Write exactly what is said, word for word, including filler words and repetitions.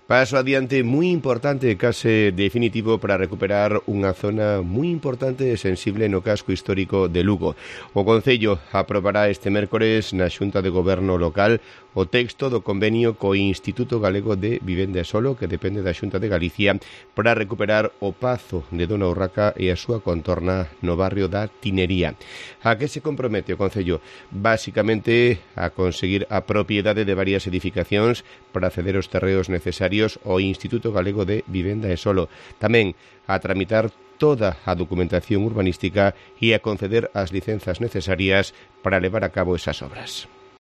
Paso adiante moi importante, case definitivo, para recuperar unha zona moi importante e sensible no casco histórico de Lugo. O Concello aprobará este mércores na Xunta de Goberno local o texto do convenio co Instituto Galego de Vivenda e Solo, que depende da Xunta de Galicia, para recuperar o Pazo de Dona Urraca e a súa contorna no barrio da Tinería. A que se compromete o Concello? Básicamente a conseguir a propiedade de varias edificacións para ceder os terreos necesarios ao Instituto Galego de Vivenda e Solo. Tamén a tramitar toda a documentación urbanística e a conceder as licenzas necesarias para levar a cabo esas obras.